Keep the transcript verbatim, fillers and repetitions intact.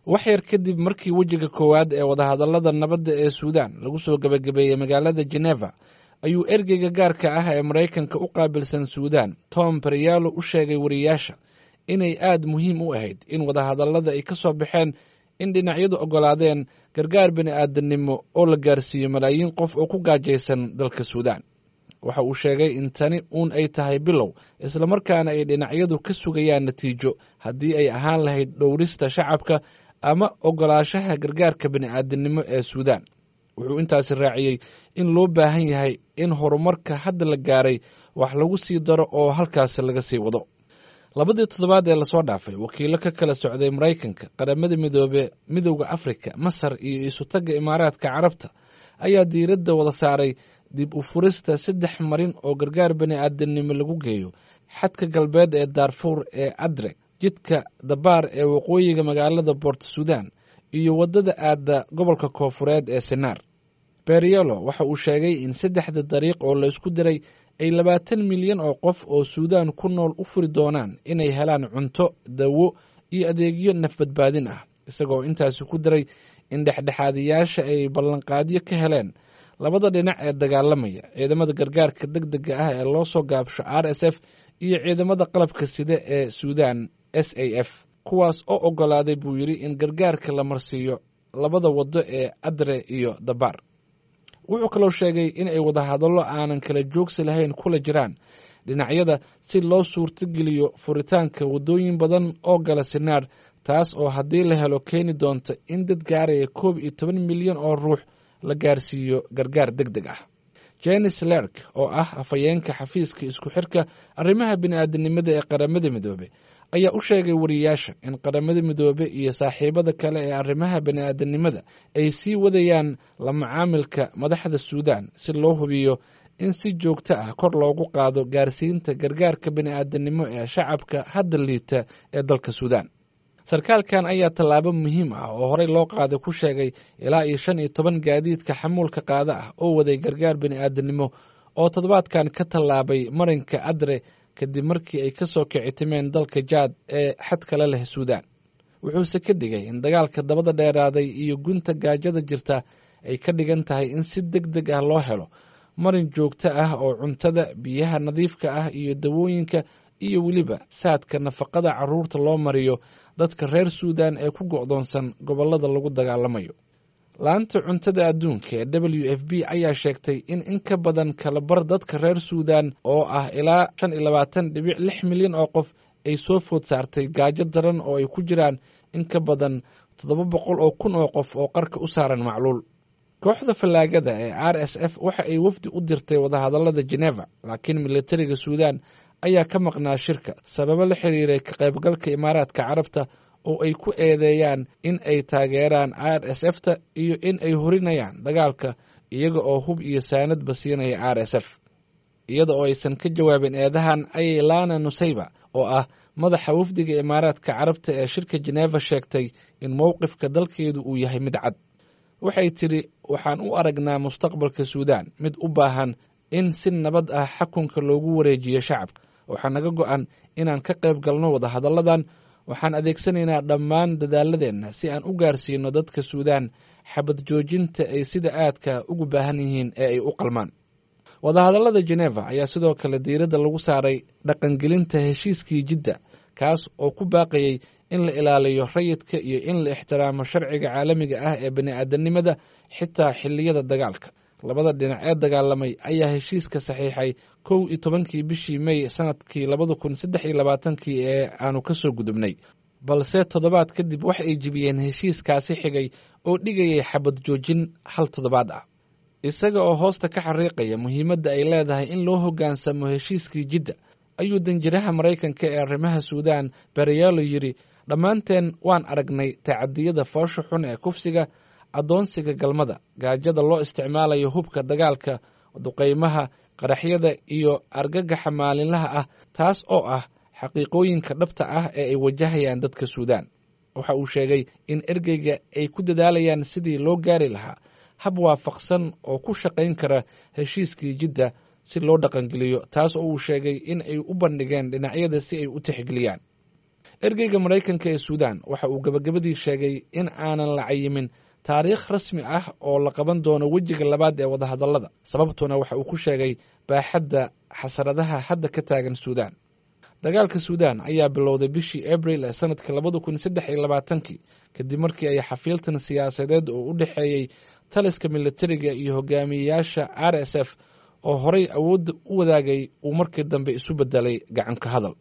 Wax yar kadib markii wejiga koowaad ee wadahadallada nabadda ee Suudaan lagu soo gebagabeeyey magaalada Geneva, ayuu ergeyga gaarka ah ee Maraykanka u qaabilsan Suudaan, Tom Perriello, u sheegay wariyaasha inay aad muhiim u ahayd in wadahadallada ay ka soo baxeen in dhinacyadu oggolaadeen gargaar bini'aadanimo oo la gaarsiiyo malaayiin qof oo ku gaajaysan dalka Suudaan. Waxa uu sheegay in tani uun ay tahay bilow, islamarkaana ay dhinacyadu ka sugayaan natiijo haddii ay ahaan lahayd dhowrista shacabka ama oggolaashaha gargaarka bini'aadanimo ee Suudaan. Wuxuu intaasi raaciyey in loo baahan yahay in horumarka hadda la gaaray wax lagu sii daro oo halkaasi laga sii wado. Labadii toddobaad ee lasoo dhaafay, wakiilo ka kala socday Maraykanka, Qaramada Midoobe, Midowda Afrika, Masar iyo Isutagga Imaaraadka Carabta ayaa diiradda wada saaray dib u furista saddex marin oo gargaar bini'aadanimo lagu geeyo xadka galbeed ee Daarfuur ee Adre, jidka Dabaar ee waqooyiga magaalada Boort Suudaan iyo waddada aadda gobolka koofureed ee Senaar. Perriello waxa uu sheegay in saddexda dariiq oo laysku diray ay labaatan milyan oo qof oo Suudaan ku nool u furi doonaan inay helaan cunto, dawo iyo adeegyo nafbadbaadin ah, isagoo intaasi ku daray in dhexdhexaadiyaasha ay ballanqaadyo ka heleen labada dhinac ee dagaalamaya, ciidamada gargaarka deg dega ah ee loo soo gaabsho R S F iyo ciidamada qalabka sida ee Suudaan S A F, kuwaas oo oggolaaday, buu yidhi, in gargaarka la marsiiyo labada waddo ee Adre iyo Dabaar. Wuxuu kaloo sheegay in ay wadahadallo aanan kala joogsi lahayn kula jiraan dhinacyada si loo suurtogeliyo furitaanka waddooyin badan oo gala Sinaar, taas oo haddii la helo keeni doonta in dad gaaraya koob iyo toban milyan oo ruux la gaarsiiyo gargaar deg deg ah. Jenis Lerk, oo ah afhayeenka xafiiska isku xirka arrimaha bini'aadanimada ee Qaramada Midoobe, ayaa u sheegay wariyaasha in Qaramada Midoobe iyo saaxiibada kale ee arrimaha bini'aadanimada ay sii wadayaan la macaamilka madaxda Suudaan si loo hubiyo in si joogto ah kor loogu qaado gaarsiinta gargaarka bini'aadanimo ee shacabka hadda liita ee dalka Suudaan. Sarkaalkan ayaa tallaabo muhiim ah oo horey loo qaaday ku sheegay ilaa iyo shan iyo toban gaadiidka xamuulka qaada ah oo waday gargaar bini'aadanimo oo toddobaadkan ka tallaabay marinka Adre kadib markii ay ka soo kicitimeen dalka Jaad ee xadkala leh Suudaan. Wuxuuse ka digay in dagaalka dabada dheeraaday iyo gunta gaajada jirta ay ka dhigan tahay in si deg deg ah loo helo marin joogto ah oo cuntada, biyaha nadiifka ah iyo dawooyinka iyo weliba saadka nafaqada carruurta loo mariyo dadka reer Suudaan ee ku go'doonsan gobollada lagu dagaalamayo. Laanta cuntada adduunka ee W F P ayaa sheegtay in in ka badan kalabar dadka reer Suudaan oo ah ilaa shan iyo labaatan dhibic lix milyan oo qof ay soo food saartay gaajo daran, oo ay ku jiraan in ka badan toddoba boqol oo kun oo qof oo qarka u saaran macluul. Kooxda fallaagada ee R S F waxa ay wafdi u dirtay wadahadallada Geneva, laakiin militariga Suudaan ayaa ka maqnaa shirka sababo la xiriiray ka qaybgalka Imaaraadka Carabta oo ay ku eedeeyaan in ay taageeraan R S F ta iyo in ay hurinayaan dagaalka iyaga oo hub iyo saanadba siinaya R S F. Iyada oo aysan ka jawaabin eedahan, ayay Lana Nusayba, oo ah madaxa wafdiga Imaaraadka Carabta ee shirka Geneva, sheegtay in mowqifka dalkeedu uu yahay mid cad. Waxay tidhi: "Waxaan u aragnaa mustaqbalka Suudaan mid u baahan in si nabad ah xakunka loogu wareejiyo shacabka. Waxaa naga go'an inaan ka qayb galno wadahadalladan. Waxaan adeegsanaynaa dhammaan dadaaladeenna si aan u gaarsiino dadka Suudaan xabad joojinta ay sida aadka ugu baahan yihiin ee ay u qalmaan." Wadahadallada Geneva ayaa sidoo kale diiradda lagu saaray dhaqangelinta heshiiskii Jidda, kaas oo ku baaqayay in la ilaaliyo rayidka iyo in la ixtiraamo sharciga caalamiga ah ee bini'aadanimada, xitaa xilliyada dagaalka. Labada dhinac ee dagaalamay ayaa heshiiska saxiixay kow iyo tobankii bishii May sanadkii labada kun saddex iyo labaatankii ee aanu ka soo gudubnay, balse toddobaad kadib waxa ay jibiyeen heshiiskaasi xigay oo dhigayay xabad joojin hal toddobaad ah. Isaga oo hoosta ka xariiqaya muhiimadda ay leedahay in loo hoggaansamo heshiiskii Jidda, ayuu danjiraha Maraykanka ee arrimaha Suudaan Perriello yidhi: "Dhammaanteen waan aragnay tacadiyada foosha xun ee kufsiga, addoonsiga galmada, gaajada loo isticmaalayo hubka dagaalka, duqaymaha, qaraxyada iyo argagaxa maalinlaha ah, taas oo ah xaqiiqooyinka dhabta ah ee ay wajahayaan dadka Suudaan." Waxa uu sheegay in ergeyga ay ku dadaalayaan sidii loo gaari lahaa hab waafaqsan oo ku shaqayn kara heshiiskii Jidda si loo dhaqangeliyo, taas oo uu sheegay in ay u bandhigeen dhinacyada si ay u tixgeliyaan. Ergeyga Maraykanka ee Suudaan waxa uu gabagabadii sheegay in aanan la cayimin taariikh rasmi ah oo la qaban doono wejiga labaad ee wadahadallada, sababtuna waxa uu ku sheegay baaxadda xasaradaha hadda ka taagan Suudaan. Dagaalka Suudaan ayaa bilowday bishii Abril ee sanadka labada kun saddex iyo labaatankii kadib markii ay xafiiltan siyaasadeed oo u dhexeeyey taliska militariga iyo hogaamiyeyaasha R S F oo horay awoodda u wadaagay uu markii dambe isu bedelay gacanka hadal.